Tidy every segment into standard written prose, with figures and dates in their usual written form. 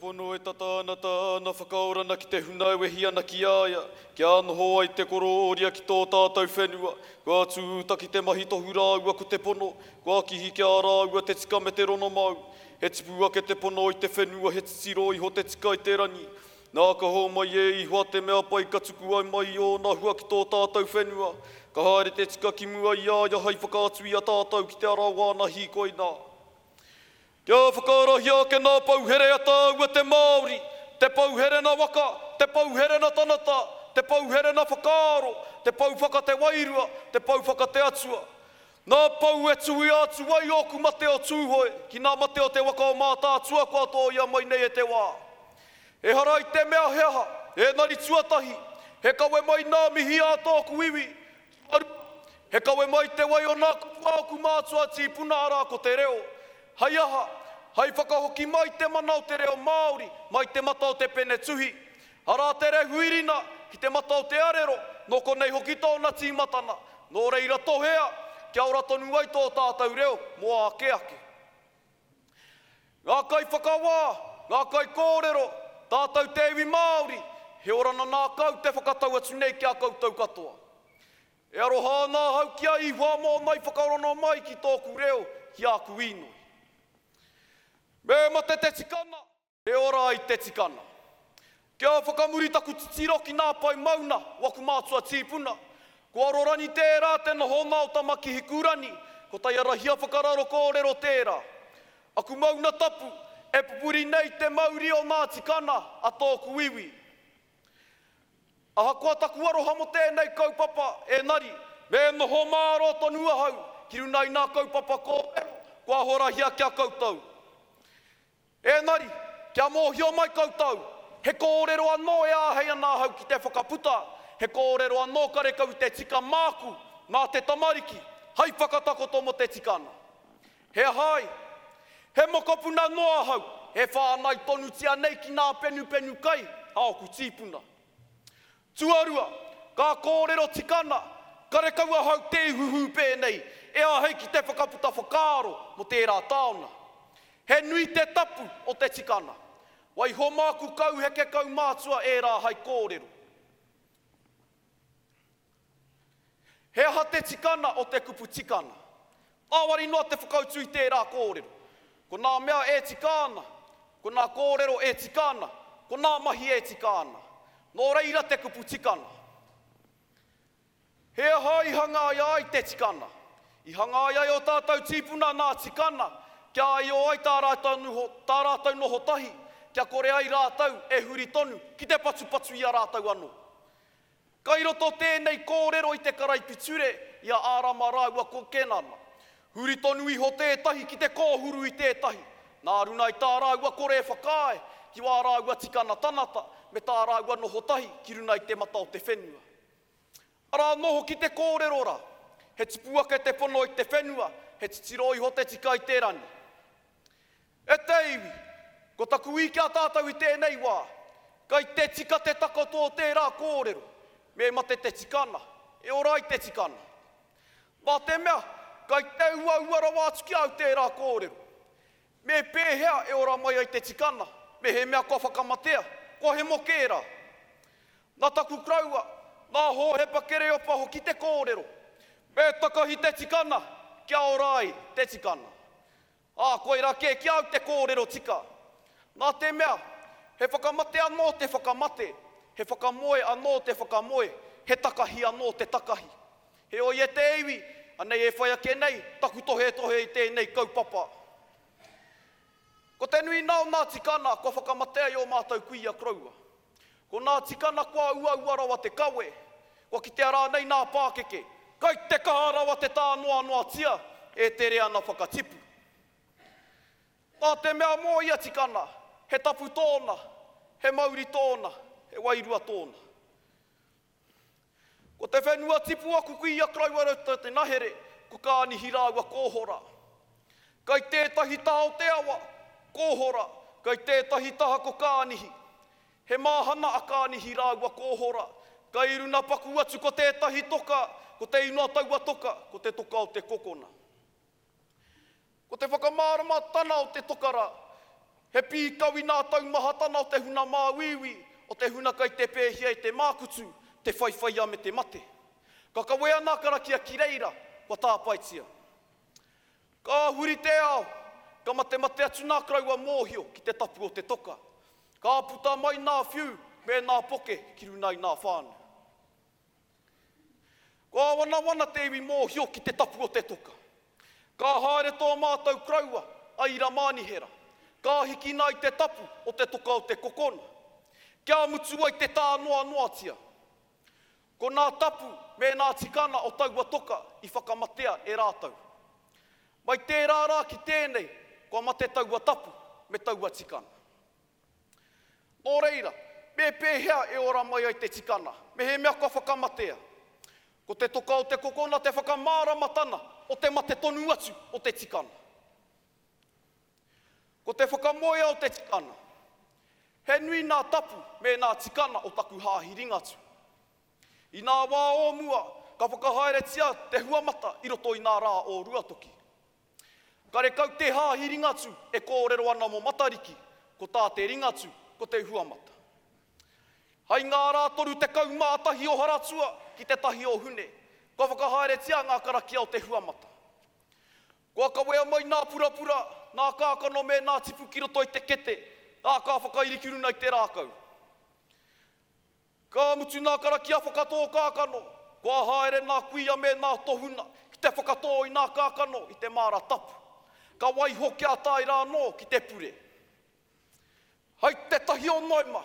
pono e tata ana tāna whakaorana ki te huna e wehi ana ki a ia, kia noho ai te korōria ki tō tātou whenua. Kua tūtaki te mahi tohu rāua ko te pono, kua kihi ki a rāua te tika me te ronomau. He tipu ake te pono i te whenua, he titiro iho te tika i te rangi. Nā, ka hōmai e Ihoa te mea pai ka tuku ai mai i ōna hua ki tō tātou whenua. Ka haere te tika ki mua i a ia hai whakaatu i a tātou ki te ara o āna hīkoi nā. Kia whakaarahia ake nā pouhere a tāua te Māori, te pouhere na waka, te pouhere na tanata, te pouhere na whakaaro, te pou whaka te wairua, te pou whaka te atua. Nā pou e tuia atu ai ōku mate o Tūhoe ki nā mate o te waka o Mātaatua kua tōia mai nei e te wā. Ehara i te mea he aha, engari tuatahi, he kawe mai nā mihi ā tōku iwi, tuarua, he kawe mai te wai o nā kupu a ōku mātua tīpuna arā ko te reo. Hei aha? Hei whakahoki mai te mana o te reo Māori mai te mata o te pene tuhi. Arā te rehuirina ki te mata o te arero, nō konei hoki tōna tīmatana. Nō reira tohea, kia ora tonu ai tō tātou reo mō āke ake. Ngā kaiwhakawā, ngā kaikōrero, tātou te iwi Māori, he orana nākau te whakatau atu nei ki a koutou katoa. E aroha ana ahau ki a Ihoa mōna i whakarono mai ki tōku reo, ki āku īnoi. Me mate te tikana! E ora ai te tikana. Kia whakamuri taku titiro ki nā pae mauna o aku mātua tīpuna. Ko Arorangi tērā te nohona o Tamakihikurani, ko Taiarahia whakararo kōrero tērā. Aku mauna tapu, e pupuri nei te mauri o nā tikana a tōku iwi. Ahakoa taku aroha mō tēnei kaupapa, engari, me noho mārō tonu ahau ki runa i nā kaupapa kōrero kua horahia ki a koutou. Engari, kia mōhio mai koutou, he kōrero anō e āhei ana ahau ki te whakaputa, he kōrero anō karekau i te tika māku, mā te tamariki, hai whakatakoto mō te tikana. He aha ai? He mokopuna noa ahau e whāngai tonutia nei ki nā penupenu kai a oku tīpuna. Tuarua, ka kōrero tikana, karekau ahau te ihuhū pēnei e āhei ki te whakaputa whakaaro mō tērā taonga. He nui te tapu o te tikana. Waiho māku kauheke kaumātua ērā hai kōrero. He aha te tikana o te kupu tikana? Ngāwari noa te whakautu i tērā kōrero. Ko nā mea e tika ana, ko nā kōrero e tika ana, ko nā mahi e tika ana. Nō reira te kupu tikana. He aha i hangaia ai te tikana? I hangaia e ō tātou tīpuna nā tikana kia aio ai tā rātou, tā rātou noho tahi, kia kore ai rātou e huri tonu ki te patupatu i a rātou anō. Kai roto tēnei kōrero i te karaipiture i a Ārama rāua ko Kenana. Huri tonu iho tētahi ki te kōhuru i tētahi, nā runa i tā rāua kore e whakaae ki wā rāua tikana tanata me tā rāua noho tahi ki runa i te mata o te whenua. Arā anō hoki te kōrero rā, he tipu ake te pono i te whenua, he titiro iho te tika i te rani. E te iwi, ko taku ī ki a tātou i tēnei wā, kai te tika te takoto o tērā kōrero, me mate te tikana, e ora ai te tikana. Nā te mea, kai te uaua rawa atu ki a au tērā kōrero. Me pēhea e ora mai ai te tikana, mehemea kua whakamatea, kua hemo kē rā? Nā taku koroua, nā Hōhepa Kereopa hoki te kōrero, me takahi te tikana kia ora ai te tikana. Ā, koirā kē ki a au te kōrero tika. Nā te mea, he whakamate anō te whakamate, he whakamoe anō te whakamoe, he takahi anō te takahi. Heoi e te iwi, anei e whai ake nei taku tohetohe i tēnei kaupapa. Ko te nui nā o nā tikana kua whakamatea i ō mātou kuia koroua. Ko nā tikana kua uaua rawa te kawe, kua kitea rānei nā pākeke, kai te kaha rawa te tānoanoatia e te reana whakatipu. Nā te mea mō ia tikana, he tapu tōna, he mauri tōna, he wairua tōna. Ko te whenua tipu aku kuia koroua roto te nahere, ko Kānihi rāua ko Hora. Kai tētahi taha o te awa, ko Hora, kai tētahi taha ko Kānihi. He māhana a Kānihi rāua ko Hora. Kai runa paku atu ko tētahi toka, ko te inoa taua toka, ko te toka o te kokona. Ko te whakamāramatana o te toka rā. He pīkau i nā taumahatana o te huna māuiui, o te huna kai te pēhia e te mākutu, te whaiwhaiā me te mate. Ka kawea nā karakia ki reira, kua tāpaetia. Ka huri te ao, ka matemate atu nā karaua mōhio ki te tapu o te toka. Ka puta mai nā whiu me nā poke ki runa i nā whānau. Kua wanawana te iwi mōhio ki te tapu o te toka. Ka haere tō mātou koroua a Ira Mānihera, ka hikina i te tapu o te toka o te kokona, kia mutu ai te tānoanoatia. Ko nā tapu me nā tikana o taua toka i whakamatea e rātou. Mai tērā rā ki tēnei, kua mate taua tapu me taua tikana. Nō reira, me pēhea e ora mai ai te tikana, mehemea kua whakamatea? Ko te toka o te kokona te whakamāramatana o te mate tonu atu o te tikana. Ko te whakamoea o te tikana. He nui nā tapu me nā tikana o taku hāhi Ringatū. I nā wā o mua, ka whakahaeretia te huamata i roto i nā rā o Ruatoki. Karekau te hāhi Ringatū e kōrero ana mō Matariki, ko tā te Ringatū, ko te huamata. Hai ngā rā 31 o Haratua ki te tahi o Hune, kua whakahaeretia ngā karakia o te huamata. Kua kawea mai nā purapura, nā kākano me nā tipu ki roto i te kete, ā, ka whakairi ki runa i te rākau. Ka mutu nā karakia whakatō kākano, kua haere nā kuia me nā tohuna ki te whakatō i nā kākano i te māra tapu. Ka waiho kia tae rā anō ki te pure. Hai te tahi o Noema,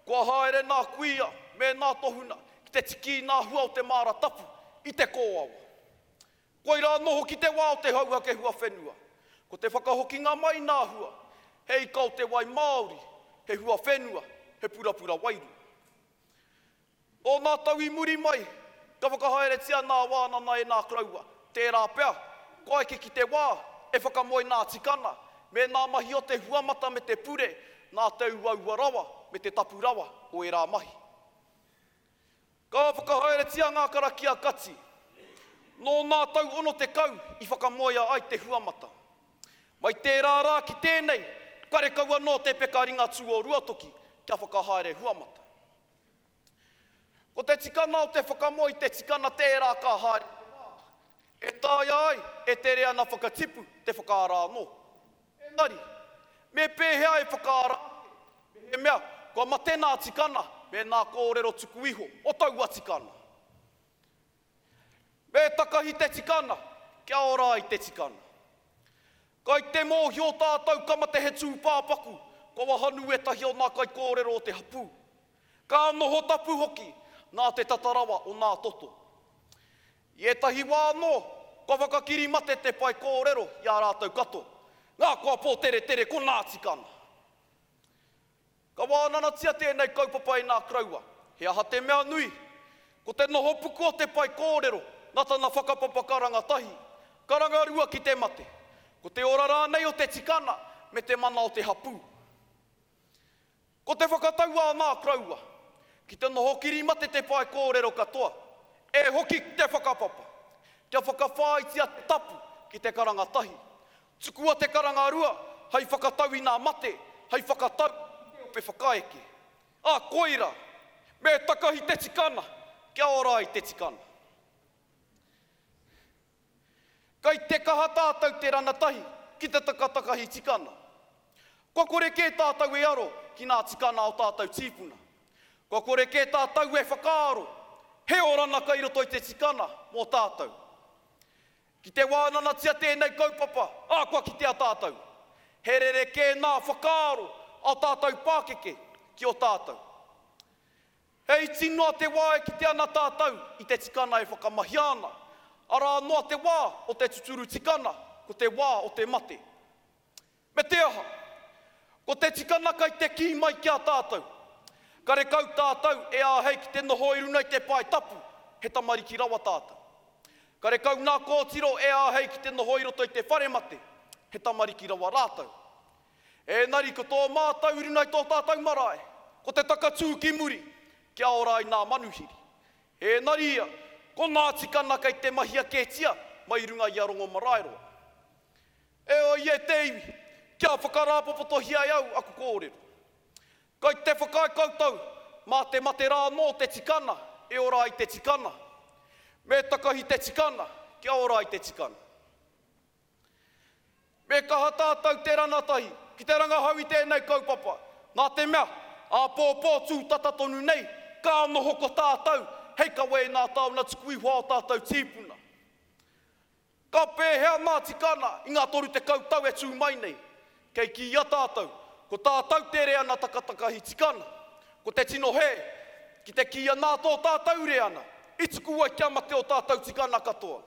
kua haere nā kuia me nā tohuna ki te tiki i nā hua o te māra tapu i te kōawa. Koirā anō hoki te wā o te hauhake huawhenua. Ko te whakahokinga mai nā hua, he ika o te wai māori, he huawhenua, he purapura wairua. Nō nā tau i muri mai, ka whakahaeretia nā wānana e nā koroua, tērā pea, kua eke ki te wā e whakamoe nā tikana, me nā mahi o te huamata me te pure, nā te uaua rawa me te tapu rawa o ērā mahi. Ka whakahaeretia ngā karakia kati. Nō nā tau 60 i whakamoea ai te huamata. Mai tērā rā ki tēnei, karekau anō te peka Ringatū o Ruatoki kia whakahaere huamata. Ko te tikana o te whakamoe i te tikana tērā ka haere te wā, e taea ai e te reana whakatipu te whakaara anō. Engari, me pēhea e whakaara ake mehemea kua mate nā tikana me nā kōrero tuku iho o taua tikana? Me takahi te tikana kia ora ai te tikana. Kai te mōhio tātou ka mate he tūpāpaku, kua wahanu ētahi o nā kaikōrero o te hapū. Ka noho tapu hoki nā te tata rawa o nā toto. I ētahi wā anō, kua whakakiri mate te pae kōrero i a rātou katoa, ngā koa pōteretere ko nā tikana. Ka wānanatia tēnei kaupapa e nā koroua, he aha te mea nui? Ko te noho puku o te pae kōrero nā tana whakapapa karanga tahi, karanga rua ki te mate. Ko te ora rānei o te tikana me te mana o te hapū. Ko te whakatau a nā koroua, ki te noho kiri mate te pae kōrero katoa, e hoki ki te whakapapa, kia whakawhāitia te tapu ki te karanga tahi. Tukua te karanga rua hei whakatau i nā mate, hei whakatau i te ope whakaeke. Ā, koira, me takahi te tikana, kia ora ai te tikana. Kai te kaha tātou te ranatahi ki te takatakahi tikana. Kua kore kē tātou e aro ki nā tikana o tātou tīpuna. Kua kore kē tātou e whakaaro he orana kai roto i te tikana mō tātou. Ki te wānanatia tēnei kaupapa, ā, kua kitea tātou. He rerekē nā whakaaro a tātou pākeke ki o tātou. He iti noa te wā e kite ana tātou i te tikana e whakamahia ana. Arā noa te wā o te tuturu tikana, ko te wā o te mate. Me te aha? Ko te tikana kai te kī mai ki a tātou. Karekau tātou e āhei ki te noho i runa i te pae tapu, he tamariki rawa tātou. Karekau nā kōtiro e āhei ki te noho i roto i te whare mate, he tamariki rawa rātou. Ēnari ko tō mātou i runa i tō tātou marae, ko te takatū ki muri, kia ora ai nā manuhiri. Ēnari ia, ko nā tikana kei te mahia kētia mai i runga i a Rongomaraeroa. Heoi e te iwi, Kia whakarāpopotohia e au aku kōrero. Kai te whakaae koutou, mā te mate rā anō te tikana e ora ai te tikana. Me takahi te tikana kia ora ai te tikana. Me kaha tātou te ranatahi ki te rangahau i tēnei kaupapa, nā te mea, āpōpō tūtata tonu nei, ka noho ko tātou hei kawe i ngā taona tuku iho a ō tātou tīpuna. Ka pēhea ngā tikana i ngā 30 tau e tū mai nei? Kei kīia tātou, ko tātou te reana takatakahi tikana. Ko te tino hē, ki te kīia nā tō tātou reana i tuku ai kia mate ō tātou tikana katoa.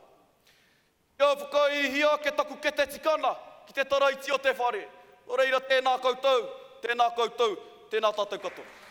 Kia whakaihia ake taku kete tikana ki te taraiti o te whare. Nō reira tēnā koutou, tēnā koutou, tēnā tātou katoa.